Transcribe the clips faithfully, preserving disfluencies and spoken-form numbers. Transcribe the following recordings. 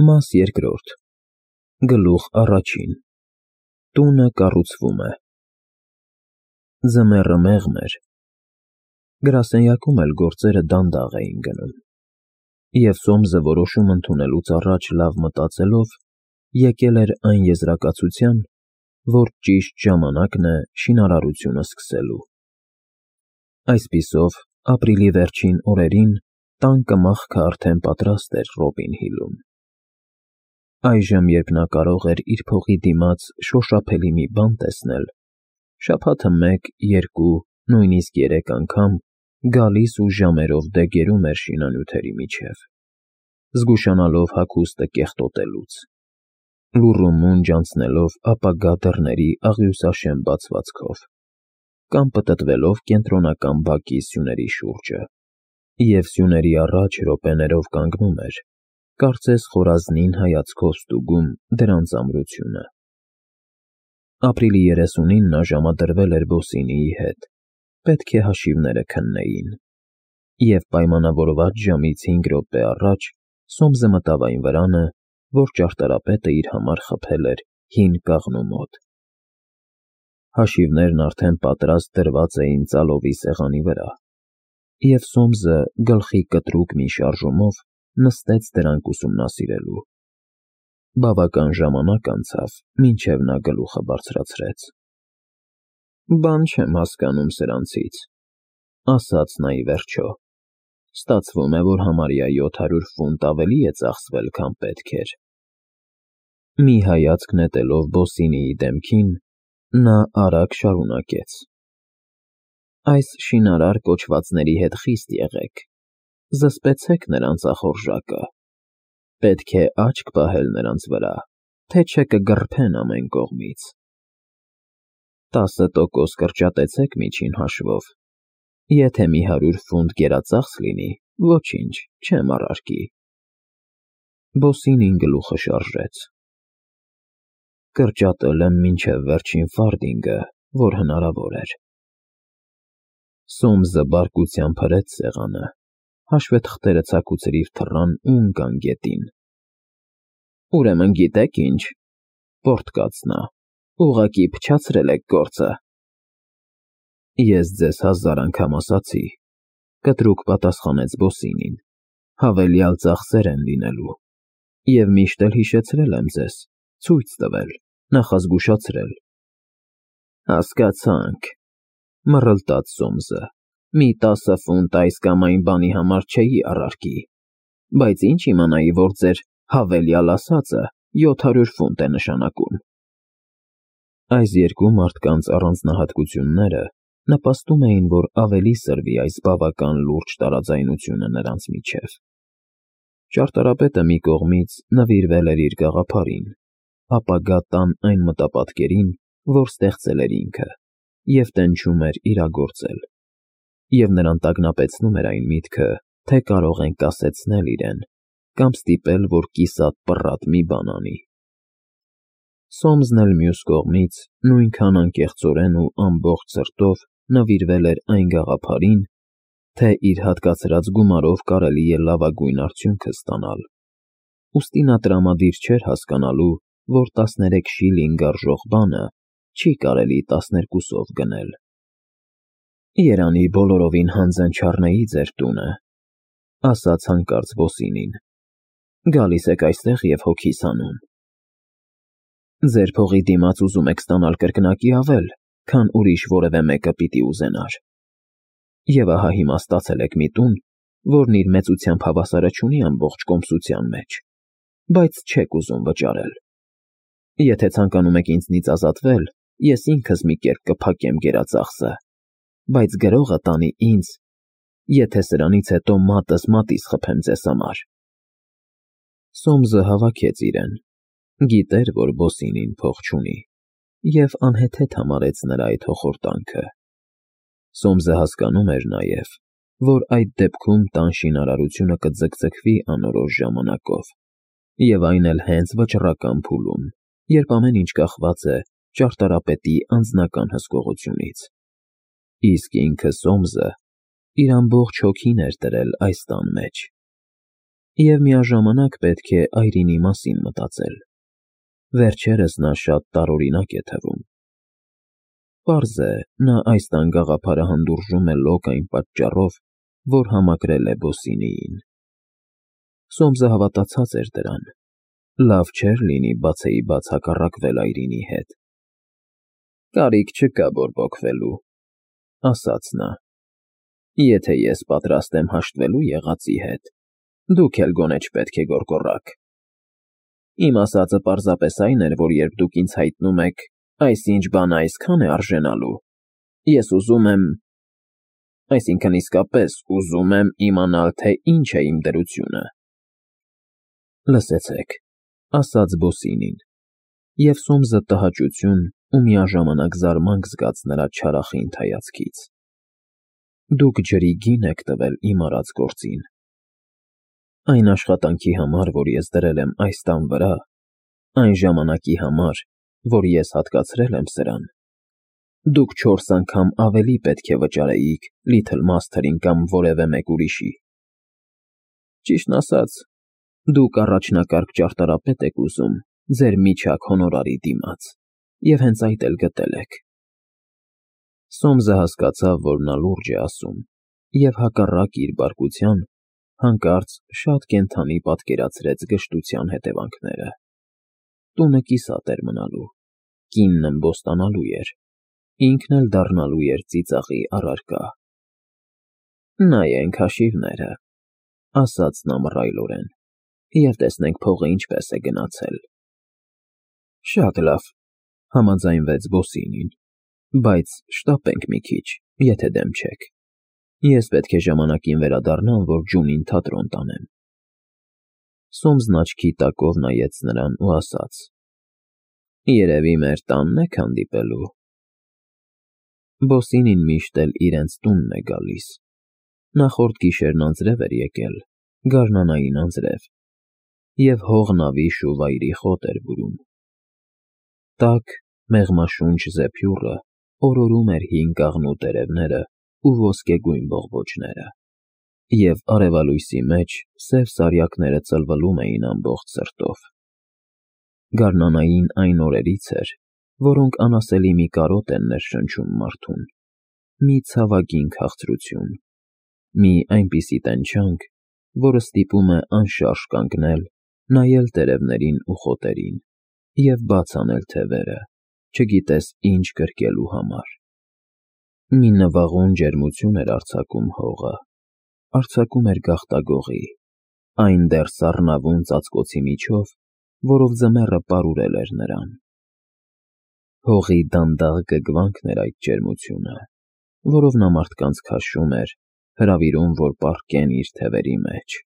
Մաս երկրորդ Գլուխ առաջին Տունը կառուցվում է։ Ձմեռը մեղմ էր, գրասենյակում էլ գործերը դանդաղ էին գնում, և Սոմսը որոշում ընդունելուց առաջ լավ մտածելով, եկել էր այն եզրակացության, որ ճիշտ ժամանակն է շինարարությունը սկսելու։ Այսպիսով, ապրիլի վերջին օրերին տան կմախքը արդեն պատրաստ էր Ռոբին Հիլում։ Այժմ, երբ նա կարող էր իր փողի դիմաց շոշափելի մի բան տեսնել, շաբաթը մեկ, երկու, նույնիսկ երեք անգամ գալիս ու ժամերով դեգերում էր շինանյութերի միջև, զգուշանալով հագուստը կեղտոտելուց, լուռ ու մունջ անցնելով ապագա դռների աղյուսաշեմ բացվածքով, կամ պտտվելով կենտրոնական բակի սյուների շուրջը, և սյուների առաջ րոպեներով կանգնում էր, կարծես խորազնին հայացքով ստուգում դրանց ամրությունը։ Ապրիլի երեսունին նա ժամադրվել էր Բոսինիի հետ, պետք է հաշիվները քննեին, և պայմանավորված ժամից հինգ րոպե առաջ Սոմսը մտավ այն վրանը, որ ճարտարապետը իր համար խփել էր հին կաղնու մոտ։ Հաշիվներն արդեն պատրաստ դրված էին ծալովի սեղանի վրա, և Սոմսը գլխի կտրուկ մի շարժումով նստեց դրանք ուսումնասիրելու։ Բավական ժամանակ անցավ, մինչև նա գլուխը բարձրացրեց։ «Բան չեմ հասկանում սրանցից,֊ ասաց նա ի վերջո,֊ ստացվում է, որ համարյա յոթ հարյուր ֆունտ ավելի է ծախսվել, քան պետք էր»։ Մի հայացք նետելով Բոսինիի դեմքին, նա արագ շարունակեց. «Այս շինարար կոչվածների հետ խիստ եղեք, զսպեցեք նրանց ախորժակը, պետք է աչք պահել նրանց վրա, թե չէ կգռփեն ամեն կողմից։ Տասը տոկոս կրճատեցեք միջին հաշվով, եթե մի հարյուր ֆունտ գերածախս լինի, ոչինչ, չեմ առարկի»։ Բոսինին գլուխը շարժեց. «Կրճատել եմ մինչև վերջին ֆարտինգը, որ հնարավոր էր»։ Սոմսը բարկությամբ հրեց սեղանը, հաշվետղթերը ցաքուցրիվ թռան ու ընկան գետին։ «Ուրեմն գիտեք ինչ,֊ պոռթկաց նա,֊ ուղղակի փչացրել եք գործը»։ «Ես ձեզ հազար անգամ ասացի,֊ կտրուկ պատասխանեց Բոսինին,֊ հավելյալ ծախսեր են լինելու, և միշտ էլ հիշեցրել եմ ձեզ, ցույց տվել, նախազգուշացրել»։ «Հասկացանք,֊ մռլտաց Սոմսը,֊ մի տասը ֆունտ այս կամ այն բանի համար չէի առարկի, բայց ինչ իմանայի, որ ձեր հավելյալ ասածը յոթ հարյուր ֆունտ է նշանակում»։ Այս երկու մարդկանց առանձնահատկությունները նպաստում էին, որ ավելի սրվի այս բավական լուրջ տարաձայնությունը նրանց միջև։ Ճարտարապետը մի կողմից նվիրվել էր իր գաղափարին, ապագա տան այն մտապատկերին, որ ստեղծել էր ինքը, և տենչում էր իրագործել, և նրան տագնապեցնում էր այն միտքը, թե կարող են կասեցնել իրեն կամ ստիպել, որ կիսատ պռատ մի բան անի։ Սոմսն էլ մյուս կողմից նույնքան անկեղծորեն ու ամբողջ սրտով նվիրվել էր այն գաղափարին, թե իր հատկացրած գումարով կարելի է լավագույն արդյունքը ստանալ, ուստի նա տրամադիր չէր հասկանալու, որ տասներեք շիլինգ արժող բանը չի կարելի տասներկուսով գնել։ «Երանի բոլորովին հանձն չառնեի ձեր տունը,֊ ասաց հանկարծ Բոսինին,֊ գալիս եք այստեղ և հոգիս հանում։ Ձեր փողի դիմաց ուզում եք ստանալ կրկնակի ավել, քան ուրիշ որևէ մեկը պիտի ուզենար, և ահա հիմա ստացել եք մի տուն, որն իր մեծությամբ հավասարը չունի ամբողջ կոմսության մեջ, բայց չեք ուզում վճարել։ Եթե ցանկանում եք ինձնից ազատվել, ես ինքս մի կերպ կփակեմ գերածախսը, բայց գրողը տանի ինձ, եթե սրանից հետո մատս մատից խփեմ ձեզ համար»։ Սոմսը հավաքեց իրեն, գիտեր, որ Բոսինին փող չունի, և անհեթեթ համարեց նրա այդ հոխորտանքը։ Սոմսը հասկանում էր նաև, որ այդ դեպքում տան շինարարությունը կձգձգվի անորոշ ժամանակով, և այն էլ հենց վճռական փուլում, երբ ամեն ինչ կախված է ճարտարապետի անձնական հսկողությունից։ Իսկ ինքը՝ Սոմսը, իր ամբողջ հոգին էր դրել այս տան մեջ, Եվ միաժամանակ պետք է Այրինի մասին մտածել։ Վերջերս նա շատ տարօրինակ է թվում։ Պարզ է, նա այս տան գաղափարը հանդուրժում է լոկ այն պատճառով, որ համակրել է Բոսինիին։ Սոմսը հավատացած էր դրան։ Լավ չէր լինի բացեիբաց հակառակվել Այրինի հետ։ «Կարիք չկա բորբոքվելու», ասաց նա։ «Եթե ես պատրաստ եմ հաշտվելու եղածի հետ, դուք էլ գոնե չպետք է գոռգոռաք։ Իմ ասածը պարզապես այն էր, որ երբ դուք ինձ հայտնում եք, այսինչ բանը այսքան է արժենալու, ես ուզում եմ, այսինքն իսկապես ուզում եմ իմանալ, թե ինչ է իմ դրությունը»։ «Լսեցեք», ասաց Բոսինին, և Սոմսը տհաճություն ու միաժամանակ զարմանք զգաց նրա չարախինդ հայացքից։ «Դուք ջրի գին եք տվել իմ արած գործին։ Այն աշխատանքի համար, որ ես դրել եմ այս տան վրա, այն ժամանակի համար, որ ես հատկացրել եմ սրան, դուք չորս անգամ ավելի պետք է վճարեիք Լիթլ Մասթերին կամ որևէ մեկ ուրիշի։ Ճիշտն ասած, դուք առաջնակարգ ճարտարապետ եք ուզում ձեր միջակ հոնորարի դիմաց, և հենց այդ էլ գտել եք»։ Սոմսը հասկացավ, որ նա լուրջ է ասում, և հակառակ իր բարկության, հանկարծ շատ կենդանի պատկերացրեց գժտության հետևանքները։ Տունը կիսատ էր մնալու, կինն ըմբոստանալու էր, ինքն էլ դառնալու էր ծիծաղի առարկա։ «Նայենք հաշիվները», ասաց նա մռայլորեն, «և տեսնենք փողը ինչպես է գնացել»։ «Շատ լավ», համաձայնվեց Բոսինին, «բայց շտապենք մի քիչ, եթե դեմ չեք։ Ես պետք է ժամանակին վերադառնամ, որ ջունին թատրոն տանեմ»։ Սոմսն աչքի տակով նայեց նրան ու ասաց. «Երևի մեր տանն եք հանդիպելու»։ Բոսինին միշտ էլ իրենց տունն է գալիս։ Նախորդ գիշերն անձրև էր եկել, գարնանային անձրև, և հողն ավիշ ու վայրի խոտ էր բուրում։ Տաք, մեղմաշունչ զեփյուռը օրորում էր հին կաղնու տերևները ու ոսկեգույն բողբոջները, և արևալույսի մեջ սև սարյակները ծլվլում էին ամբողջ սրտով։ Գարնանային այն օրերից էր, որոնք անասելի մի կարոտ են ներշնչում մարդուն, մի ցավագին քաղցրություն, մի այնպիսի տենչանք, որը ստիպում է անշարժ կանգնել, նայել տերևներին ու խոտերին և բաց անել թևերը, չգիտես ինչ կրկելու համար։ Մի նվաղուն ջերմություն էր արձակում հողը, արձակում էր գաղտագողի, այն դեռ սառնավուն ծածկոցի միջով, որով ձմեռը պարուրել էր նրան։ Հողի դանդաղ գգվանքն էր այդ ջերմությունը, որով նա մարդկանց քաշում էր, հրավիրում, որ պառկեն իր թևերի մեջ,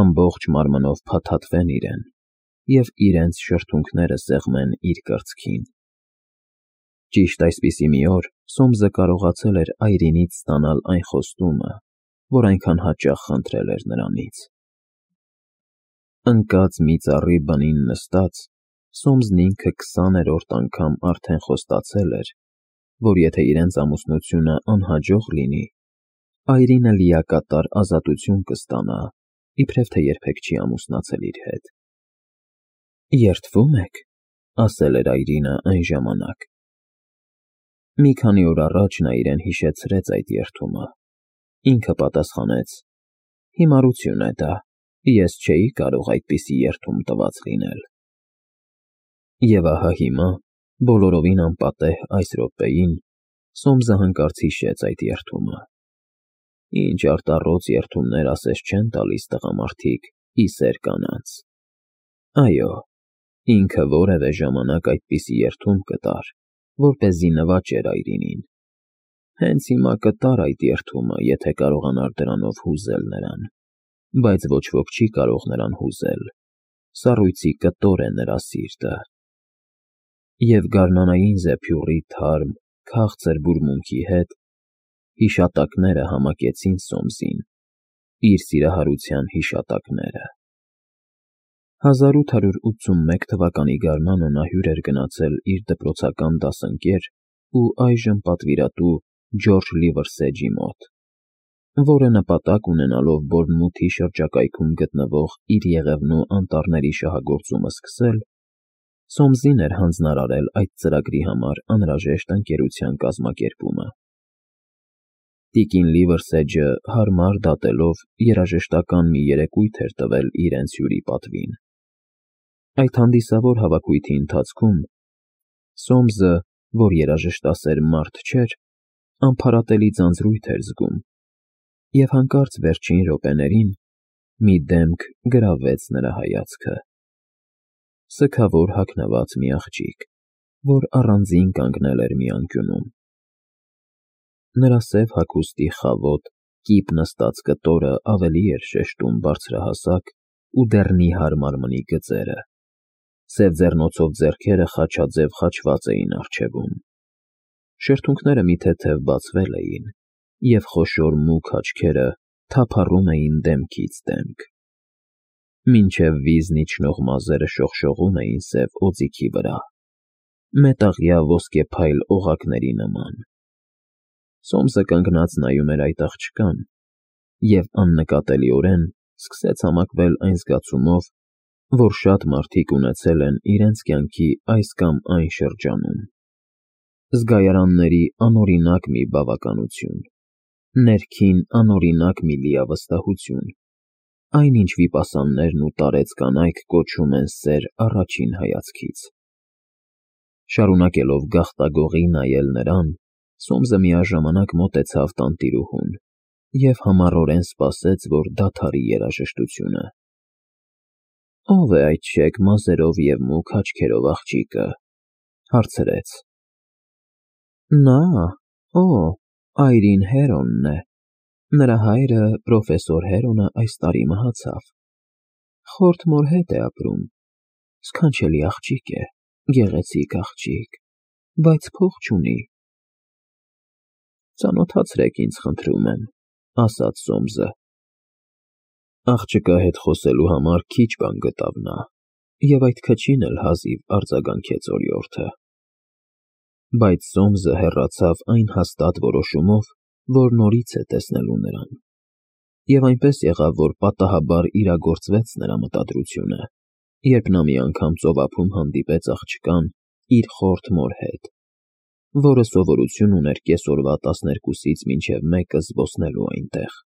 ամբողջ մարմնով փաթաթվեն իրեն և իրենց շրթունքները սեղմեն իր կրծքին։ Ճիշտ այսպիսի մի օր Սոմսը կարողացել էր Այրինից ստանալ այն խոստումը, որ այնքան հաճախ խնդրել էր նրանից։ Ընկած մի ծառի բնին նստած, Սոմսն ինքը քսաներորդ անգամ արդեն խոստացել էր, որ եթե իրենց ամուսնությունը անհաջող լինի, Այրինը լիակատար ազատություն կստանա, իբրև թե երբեք չի ամուսնացել իր հետ։ «Երդվում եք», ասել էր Այրինը այն ժամանակ։ Մի քանի օր առաջ նա իրեն հիշեցրեց այդ երդումը։ Ինքը պատասխանեց. «Հիմարություն է դա, ես չէի կարող այդպիսի երդում տված լինել»։ Եվ ահա հիմա, բոլորովին անպատեհ այս րոպեին, Սոմսը հանկարծ հիշեց այդ երդումը։ Ինչ արտառոց երդումներ ասես չեն տալիս տղամարդիկ ի սեր կանանց։ Այո, ինքը որևէ ժամանակ այդպիսի երդում կտար, որպեսզի նվաճեր Այրինին։ Հենց հիմա կտար այդ երդումը, եթե կարողանար դրանով հուզել նրան, բայց ոչ ոք չի կարող նրան հուզել, սառույցի կտոր է նրա սիրտը։ Եվ գարնանային զեփյուռի թարմ, քաղցր բուրմունքի հետ հիշատակները համակեցին Սոմսին, իր սիրահարության հիշատակները։ հազար ութ հարյուր ութսունմեկ թվականի գարնանը նա հյուր էր գնացել իր դպրոցական դասընկեր ու այժմ պատվիրատու Ջորջ Լիվերսեջի մոտ։ որը նպատակ ունենալով Բորնմութի շրջակայքում գտնվող իր եղևնու անտառների շահագործումը սկսել, Սոմսին էր հանձնարարել այդ ծրագրի համար անհրաժեշտ ընկերության կազմակերպումը։ Տիկին Լիվերսեջը հարմար դատելով երաժշտական մի երեկույթ էր տվել իրենց հյուրի պատվին։ Այդ հանդիսավոր հավաքույթի ընթացքում Սոմսը, որ երաժշտասեր մարդ չէր, անփարատելի ձանձրույթ էր զգում, և հանկարծ վերջին րոպեներին մի դեմք գրավեց նրա հայացքը։ Սգավոր հագնված մի աղջիկ, որ առանձին կանգնել էր մի անկյունում։ Նրա սև հագուստի խավոտ, կիպ նստած կտորը ավելի էր շեշտում բարձրահասակ ու դեռ նիհար մարմնի գծերը, սև ձեռնոցով ձեռքերը խաչաձև խաչված էին առջևում, շրթունքները մի թեթև բացվել էին, և խոշոր մուգ աչքերը թափառում էին դեմքից դեմք, մինչև վիզն իջնող մազերը շողշողում էին սև օձիքի վրա, մետաղյա ոսկեփայլ օղակների նման։ Սոմսը կանգնած նայում էր այդ աղջկան և աննկատելիորեն սկսեց համակվել այն զգացումով, որ շատ մարդիկ ունեցել են իրենց կյանքի այս կամ այն շրջանում. զգայարանների անօրինակ մի բավականություն, ներքին անօրինակ մի լիավստահություն, այն ինչ վիպասաններն ու տարեց կանայք կոչում են սեր առաջին հայացքից։ Շարունակելով գաղտագողի նայել նրան, Սոմսը միաժամանակ մոտեցավ տանտիրուհուն և համառորեն սպասեց, որ դադարի երաժշտությունը։ «Ո՞վ է այդ շեկ մազերով և մուգ աչքերով աղջիկը», հարցրեց։ «Նա, օ, այրին Հերոնն է, նրա հայրը, պրոֆեսոր Հերոնը այս տարի մահացավ, խորթ մոր հետ է ապրում, սքանչելի աղջիկ է, գեղեցիկ աղջիկ, բայց փող չունի»։ «Ծանոթացրեք ինձ, խնդրում եմ», ասաց Սոմսը։ Աղջկա հետ խոսելու համար քիչ բան գտավ նա, և այդ քչին էլ հազիվ արձագանքեց օրիորդը։ Բայց Սոմսը հեռացավ այն հաստատ որոշումով, որ նորից է տեսնելու նրան, և այնպես եղավ, որ պատահաբար իրագործվեց նրա մտադրությունը, երբ նա մի անգամ ծովափում հանդիպեց աղջկան իր խորթ մոր հետ, որը սովորություն ուներ կեսօրվա տասներկուսից մինչև մեկը զբոսնելու այնտեղ։